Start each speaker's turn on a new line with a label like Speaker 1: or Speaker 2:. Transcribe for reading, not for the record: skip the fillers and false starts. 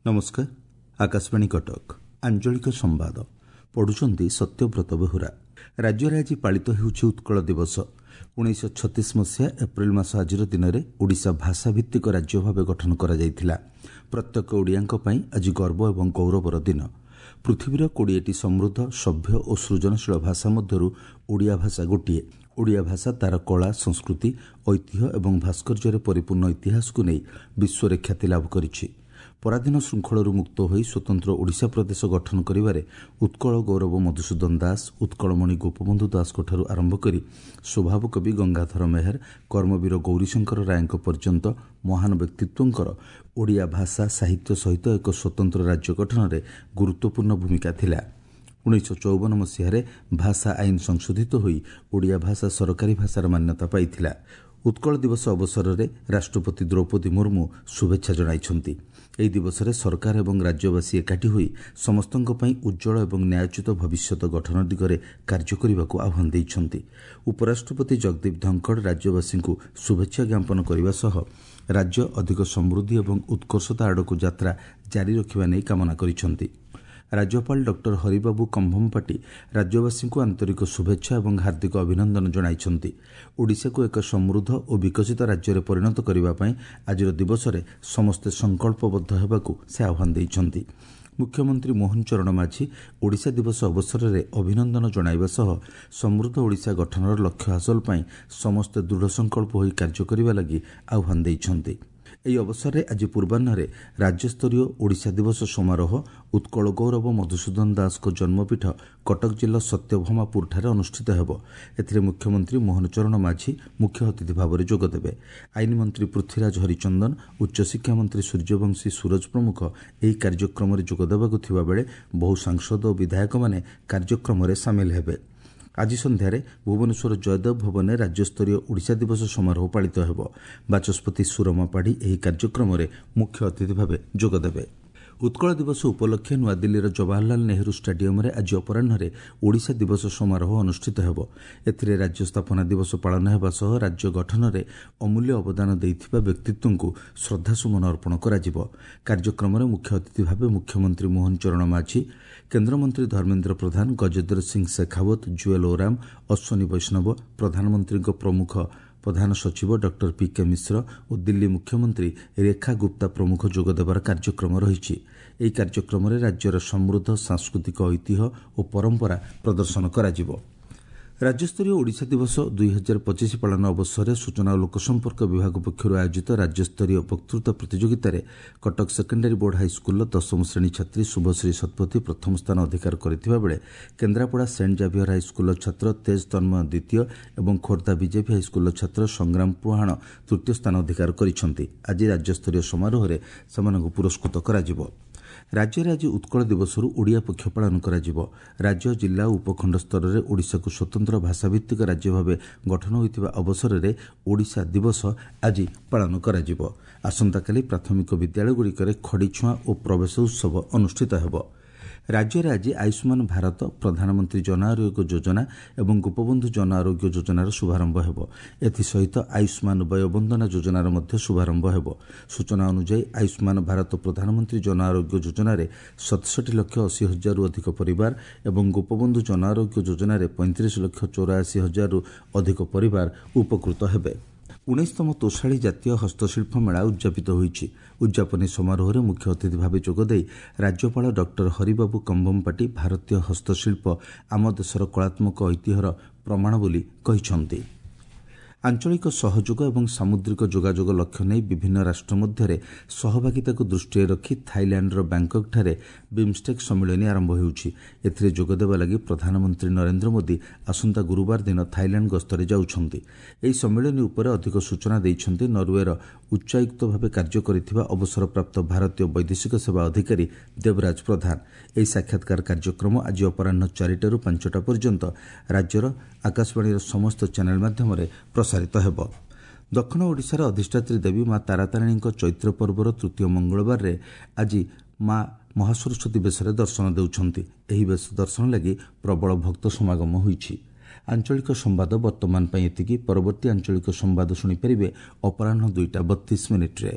Speaker 1: ନମସ୍କାର, ଆକାଶବାଣୀ କଟକ। ଆଞ୍ଚଳିକ ସମ୍ବାଦ ପଢୁଛନ୍ତି ସତ୍ୟବ୍ରତ ବେହୁରା। ରାଜ୍ୟରେ ଆଜି ପାଳିତ ହେଉଛି ଉତ୍କଳ ଦିବସ। 1936 ମସିହା ଏପ୍ରିଲ ମାସ ଆଜିର ଦିନରେ ଓଡ଼ିଶା ଭାଷାଭିତ୍ତିକ ରାଜ୍ୟ ଭାବେ ଗଠନ କରାଯାଇଥିଲା। ପ୍ରତ୍ୟେକ ଓଡ଼ିଆଙ୍କ ପାଇଁ ଆଜି ଗର୍ବ ଏବଂ ଗୌରବର ଦିନ। ପୃଥିବୀର 20ଟି ସମୃଦ୍ଧ, ସଭ୍ୟ ଓ ସୃଜନଶୀଳ ଭାଷା ମଧ୍ୟରୁ ଓଡ଼ିଆ ଭାଷା ଗୋଟିଏ। ଓଡ଼ିଆ ଭାଷା ତା'ର କଳା, ସଂସ୍କୃତି, ଐତିହ୍ୟ ଏବଂ ଭାସ୍କର୍ଯ୍ୟରେ ପରିପୂର୍ଣ୍ଣ ଇତିହାସକୁ ନେଇ ବିଶ୍ୱରେ ଖ୍ୟାତି ଲାଭ କରିଛି। ପରାଧୀନ ଶୃଙ୍ଖଳରୁ ମୁକ୍ତ ହୋଇ ସ୍ୱତନ୍ତ୍ର ଓଡ଼ିଶା ପ୍ରଦେଶ ଗଠନ କରିବାରେ ଉତ୍କଳ ଗୌରବ ମଧୁସୂଦନ ଦାସ, ଉତ୍କଳମଣି ଗୋପବନ୍ଧୁ ଦାସଙ୍କଠାରୁ ଆରମ୍ଭ କରି ସ୍ୱଭାବ କବି ଗଙ୍ଗାଧର ମେହେର, କର୍ମବୀର ଗୌରୀଶଙ୍କର ରାୟଙ୍କ ପର୍ଯ୍ୟନ୍ତ ମହାନ ବ୍ୟକ୍ତିତ୍ୱଙ୍କର ଓଡ଼ିଆ ଭାଷା ସାହିତ୍ୟ ସହିତ ଏକ ସ୍ୱତନ୍ତ୍ର ରାଜ୍ୟ ଗଠନରେ ଗୁରୁତ୍ୱପୂର୍ଣ୍ଣ ଭୂମିକା ଥିଲା। 1954 ମସିହାରେ ଭାଷା ଆଇନ ସଂଶୋଧିତ ହୋଇ ଓଡ଼ିଆ ଭାଷା ସରକାରୀ ଭାଷାର ମାନ୍ୟତା ପାଇଥିଲା। ଉତ୍କଳ ଦିବସ ଅବସରରେ ରାଷ୍ଟ୍ରପତି ଦ୍ରୌପଦୀ ମୁର୍ମୁ ଶୁଭେଚ୍ଛା ଜଣାଇଛନ୍ତି। ଏହି ଦିବସରେ ସରକାର ଏବଂ ରାଜ୍ୟବାସୀ ଏକାଠି ହୋଇ ସମସ୍ତଙ୍କ ପାଇଁ ଉଜ୍ଜ୍ୱଳ ଏବଂ ନ୍ୟାୟୋଚିତ ଭବିଷ୍ୟତ ଗଠନ ଦିଗରେ କାର୍ଯ୍ୟ କରିବାକୁ ଆହ୍ୱାନ ଦେଇଛନ୍ତି। ଉପରାଷ୍ଟ୍ରପତି ଜଗଦୀପ ଧନଖଡ଼ ରାଜ୍ୟବାସୀଙ୍କୁ ଶୁଭେଚ୍ଛା ଜ୍ଞାପନ କରିବା ସହ ରାଜ୍ୟ ଅଧିକ ସମୃଦ୍ଧି ଏବଂ ଉତ୍କର୍ଷତା ଆଡ଼କୁ ଯାତ୍ରା ଜାରି ରଖିବା ନେଇ କାମନା କରିଛନ୍ତି। ରାଜ୍ୟପାଳ ଡକ୍ଟର ହରିବାବୁ କମ୍ଭମପାଟି ରାଜ୍ୟବାସୀଙ୍କୁ ଆନ୍ତରିକ ଶୁଭେଚ୍ଛା ଏବଂ ହାର୍ଦ୍ଦିକ ଅଭିନନ୍ଦନ ଜଣାଇଛନ୍ତି। ଓଡ଼ିଶାକୁ ଏକ ସମୃଦ୍ଧ ଓ ବିକଶିତ ରାଜ୍ୟରେ ପରିଣତ କରିବା ପାଇଁ ଆଜିର ଦିବସରେ ସମସ୍ତେ ସଂକଳ୍ପବଦ୍ଧ ହେବାକୁ ସେ ଆହ୍ୱାନ ଦେଇଛନ୍ତି। ମୁଖ୍ୟମନ୍ତ୍ରୀ ମୋହନ ଚରଣ ମାଝୀ ଓଡ଼ିଶା ଦିବସ ଅବସରରେ ଅଭିନନ୍ଦନ ଜଣାଇବା ସହ ସମୃଦ୍ଧ ଓଡ଼ିଶା ଗଠନର ଲକ୍ଷ୍ୟ ହାସଲ ପାଇଁ ସମସ୍ତେ ଦୃଢ଼ ସଂକଳ୍ପ ହୋଇ କାର୍ଯ୍ୟ କରିବା ଲାଗି ଆହ୍ୱାନ ଦେଇଛନ୍ତି। ଏହି ଅବସରରେ ଆଜି ପୂର୍ବାହ୍ନରେ ରାଜ୍ୟସ୍ତରୀୟ ଓଡ଼ିଶା ଦିବସ ସମାରୋହ ଉତ୍କଳ ଗୌରବ ମଧୁସୂଦନ ଦାସଙ୍କ ଜନ୍ମପୀଠ କଟକ ଜିଲ୍ଲା ସତ୍ୟଭାମାପୁରଠାରେ ଅନୁଷ୍ଠିତ ହେବ। ଏଥିରେ ମୁଖ୍ୟମନ୍ତ୍ରୀ ମୋହନ ଚରଣ ମାଝୀ ମୁଖ୍ୟ ଅତିଥି ଭାବରେ ଯୋଗଦେବେ। ଆଇନ ମନ୍ତ୍ରୀ ପୃଥ୍ୱୀରାଜ ହରିଚନ୍ଦନ, ଉଚ୍ଚଶିକ୍ଷା ମନ୍ତ୍ରୀ ସୂର୍ଯ୍ୟବଂଶୀ ସୂରଜ ପ୍ରମୁଖ ଏହି କାର୍ଯ୍ୟକ୍ରମରେ ଯୋଗଦେବାକୁ ଥିବାବେଳେ ବହୁ ସାଂସଦ ଓ ବିଧାୟକମାନେ କାର୍ଯ୍ୟକ୍ରମରେ ସାମିଲ ହେବେ। ଆଜି ସନ୍ଧ୍ୟାରେ ଭୁବନେଶ୍ୱର ଜୟଦେବ ଭବନରେ ରାଜ୍ୟସ୍ତରୀୟ ଓଡ଼ିଶା ଦିବସ ସମାରୋହ ପାଳିତ ହେବ। ବାଚସ୍ପତି ସୁରମା ପାଢ଼ୀ ଏହି କାର୍ଯ୍ୟକ୍ରମରେ ମୁଖ୍ୟ ଅତିଥି ଭାବେ ଯୋଗଦେବେ। ଉତ୍କଳ ଦିବସ ଉପଲକ୍ଷେ ନୂଆଦିଲ୍ଲୀର ଜବାହରଲାଲ ନେହେରୁ ଷ୍ଟାଡିୟମରେ ଆଜି ଅପରାହ୍ନରେ ଓଡ଼ିଶା ଦିବସ ସମାରୋହ ଅନୁଷ୍ଠିତ ହେବ। ଏଥିରେ ରାଜ୍ୟ ସ୍ଥାପନା ଦିବସ ପାଳନ ହେବା ସହ ରାଜ୍ୟ ଗଠନରେ ଅମୂଲ୍ୟ ଅବଦାନ ଦେଇଥିବା ବ୍ୟକ୍ତିତ୍ୱଙ୍କୁ ଶ୍ରଦ୍ଧାସୁମନ ଅର୍ପଣ କରାଯିବ। କାର୍ଯ୍ୟକ୍ରମରେ ମୁଖ୍ୟ ଅତିଥି ଭାବେ ମୁଖ୍ୟମନ୍ତ୍ରୀ ମୋହନ ଚରଣ ମାଝୀ, କେନ୍ଦ୍ରମନ୍ତ୍ରୀ ଧର୍ମେନ୍ଦ୍ର ପ୍ରଧାନ, ଗଜେନ୍ଦ୍ର ସିଂ ଶେଖାଓ୍ୱତ, ଜୁଏଲ ଓରାମ, ଅଶ୍ୱିନୀ ବୈଷ୍ଣବ, ପ୍ରଧାନମନ୍ତ୍ରୀଙ୍କ ପ୍ରମୁଖ ପ୍ରଧାନ ସଚିବ ଡକ୍ଟର ପି.କେ. ମିଶ୍ର ଓ ଦିଲ୍ଲୀ ମୁଖ୍ୟମନ୍ତ୍ରୀ ରେଖା ଗୁପ୍ତା ପ୍ରମୁଖ ଯୋଗଦେବାର କାର୍ଯ୍ୟକ୍ରମ ରହିଛି। ଏହି କାର୍ଯ୍ୟକ୍ରମରେ ରାଜ୍ୟର ସମୃଦ୍ଧ ସାଂସ୍କୃତିକ ଐତିହ୍ୟ ଓ ପରମ୍ପରା ପ୍ରଦର୍ଶନ କରାଯିବ। ରାଜ୍ୟସ୍ତରୀୟ ଓଡ଼ିଶା ଦିବସ 2025 ପାଳନ ଅବସରରେ ସୂଚନା ଓ ଲୋକସମ୍ପର୍କ ବିଭାଗ ପକ୍ଷରୁ ଆୟୋଜିତ ରାଜ୍ୟସ୍ତରୀୟ ବକ୍ତୃତା ପ୍ରତିଯୋଗିତାରେ କଟକ ସେକେଣ୍ଡାରୀ ବୋର୍ଡ ହାଇସ୍କୁଲର ଦଶମ ଶ୍ରେଣୀ ଛାତ୍ରୀ ଶୁଭଶ୍ରୀ ଶତପଥୀ ପ୍ରଥମ ସ୍ଥାନ ଅଧିକାର କରିଥିବା ବେଳେ କେନ୍ଦ୍ରାପଡ଼ା ସେଣ୍ଟ ଜାଭିୟର ହାଇସ୍କୁଲର ଛାତ୍ର ତେଜ ତନ୍ମୟ ଦ୍ୱିତୀୟ ଏବଂ ଖୋର୍ଦ୍ଧା ବିଜେପି ହାଇସ୍କୁଲର ଛାତ୍ର ସଂଗ୍ରାମ ପୁହାଣ ତୃତୀୟ ସ୍ଥାନ ଅଧିକାର କରିଛନ୍ତି। ଆଜି ରାଜ୍ୟସ୍ତରୀୟ ସମାରୋହରେ ସେମାନଙ୍କୁ ପୁରସ୍କୃତ କରାଯିବ। ରାଜ୍ୟରେ ଆଜି ଉତ୍କଳ ଦିବସରୁ ଓଡ଼ିଆ ପକ୍ଷ ପାଳନ କରାଯିବ। ରାଜ୍ୟ, ଜିଲ୍ଲା ଓ ଉପଖଣ୍ଡ ସ୍ତରରେ ଓଡ଼ିଶାକୁ ସ୍ୱତନ୍ତ୍ର ଭାଷାଭିତ୍ତିକ ରାଜ୍ୟ ଭାବେ ଗଠନ ହୋଇଥିବା ଅବସରରେ ଓଡ଼ିଶା ଦିବସ ଆଜି ପାଳନ କରାଯିବ। ଆସନ୍ତାକାଲି ପ୍ରାଥମିକ ବିଦ୍ୟାଳୟଗୁଡ଼ିକରେ ଖଡ଼ିଛୁଆଁ ଓ ପ୍ରବେଶ ଉତ୍ସବ ଅନୁଷ୍ଠିତ ହେବ। ରାଜ୍ୟରେ ଆଜି ଆୟୁଷ୍ମାନ ଭାରତ, ପ୍ରଧାନମନ୍ତ୍ରୀ ଜନ ଆରୋଗ୍ୟ ଯୋଜନା ଏବଂ ଗୋପବନ୍ଧୁ ଜନ ଆରୋଗ୍ୟ ଯୋଜନାର ଶୁଭାରମ୍ଭ ହେବ। ଏଥିସହିତ ଆୟୁଷ୍ମାନ ବୟୋବନ୍ଦନା ଯୋଜନାର ମଧ୍ୟ ଶୁଭାରମ୍ଭ ହେବ। ସୂଚନା ଅନୁଯାୟୀ ଆୟୁଷ୍ମାନ ଭାରତ ପ୍ରଧାନମନ୍ତ୍ରୀ ଜନ ଆରୋଗ୍ୟ ଯୋଜନାରେ 67,80,000ରୁ ଅଧିକ ପରିବାର ଏବଂ ଗୋପବନ୍ଧୁ ଜନ ଆରୋଗ୍ୟ ଯୋଜନାରେ 35,84,000ରୁ ଅଧିକ ପରିବାର ଉପକୃତ ହେବେ। 19ତମ ତୋଷାଳୀ ଜାତୀୟ ହସ୍ତଶିଳ୍ପ ମେଳା ଉଦ୍ଯାପିତ ହୋଇଛି। ଉଦ୍ଯାପନୀ ସମାରୋହରେ ମୁଖ୍ୟ ଅତିଥି ଭାବେ ଯୋଗଦେଇ ରାଜ୍ୟପାଳ ଡକ୍ଟର ହରିବାବୁ କମ୍ଭମପାଟି ଭାରତୀୟ ହସ୍ତଶିଳ୍ପ ଆମ ଦେଶର କଳାତ୍ମକ ଐତିହ୍ୟର ପ୍ରମାଣ ବୋଲି କହିଛନ୍ତି। ଆଞ୍ଚଳିକ ସହଯୋଗ ଏବଂ ସାମୁଦ୍ରିକ ଯୋଗାଯୋଗ ଲକ୍ଷ୍ୟ ନେଇ ବିଭିନ୍ନ ରାଷ୍ଟ୍ର ମଧ୍ୟରେ ସହଭାଗିତାକୁ ଦୃଷ୍ଟିରେ ରଖି ଥାଇଲ୍ୟାଣ୍ଡର ବ୍ୟାଙ୍କକ୍ଠାରେ ବିମ୍ଷ୍ଟେକ୍ ସମ୍ମିଳନୀ ଆରମ୍ଭ ହେଉଛି। ଏଥିରେ ଯୋଗଦେବା ଲାଗି ପ୍ରଧାନମନ୍ତ୍ରୀ ନରେନ୍ଦ୍ର ମୋଦି ଆସନ୍ତା ଗୁରୁବାର ଦିନ ଥାଇଲ୍ୟାଣ୍ଡ ଗସ୍ତରେ ଯାଉଛନ୍ତି। ଏହି ସମ୍ମିଳନୀ ଉପରେ ଅଧିକ ସୂଚନା ଦେଇଛନ୍ତି ନରୱେର ଉଚ୍ଚାୟୁକ୍ତ ଭାବେ କାର୍ଯ୍ୟ କରିଥିବା ଅବସରପ୍ରାପ୍ତ ଭାରତୀୟ ବୈଦେଶିକ ସେବା ଅଧିକାରୀ ଦେବରାଜ ପ୍ରଧାନ। ଏହି ସାକ୍ଷାତକାର କାର୍ଯ୍ୟକ୍ରମ ଆଜି ଅପରାହ୍ନ 4ଟାରୁ 5ଟା ପର୍ଯ୍ୟନ୍ତ ରାଜ୍ୟର ଆକାଶବାଣୀର ସମସ୍ତ ଚ୍ୟାନେଲ୍ ମାଧ୍ୟମରେ ପ୍ରସାରିତ ହେବ। ଦକ୍ଷିଣ ଓଡ଼ିଶାର ଅଧିଷ୍ଠାତ୍ରୀ ଦେବୀ ମା ତାରାତାରିଣୀଙ୍କ ଚୈତ୍ର ପର୍ବର ତୃତୀୟ ମଙ୍ଗଳବାରରେ ଆଜି ମା ମହାସରସ୍ୱତୀ ବେଶରେ ଦର୍ଶନ ଦେଉଛନ୍ତି। ଏହି ବେଶ ଦର୍ଶନ ଲାଗି ପ୍ରବଳ ଭକ୍ତ ସମାଗମ ହୋଇଛି। ଆଞ୍ଚଳିକ ସମ୍ବାଦ ବର୍ତ୍ତମାନ ପାଇଁ ଏତିକି। ପରବର୍ତ୍ତୀ ଆଞ୍ଚଳିକ ସମ୍ବାଦ ଶୁଣିପାରିବେ ଅପରାହ୍ନ 2ଟା 32 ମିନିଟ୍ରେ।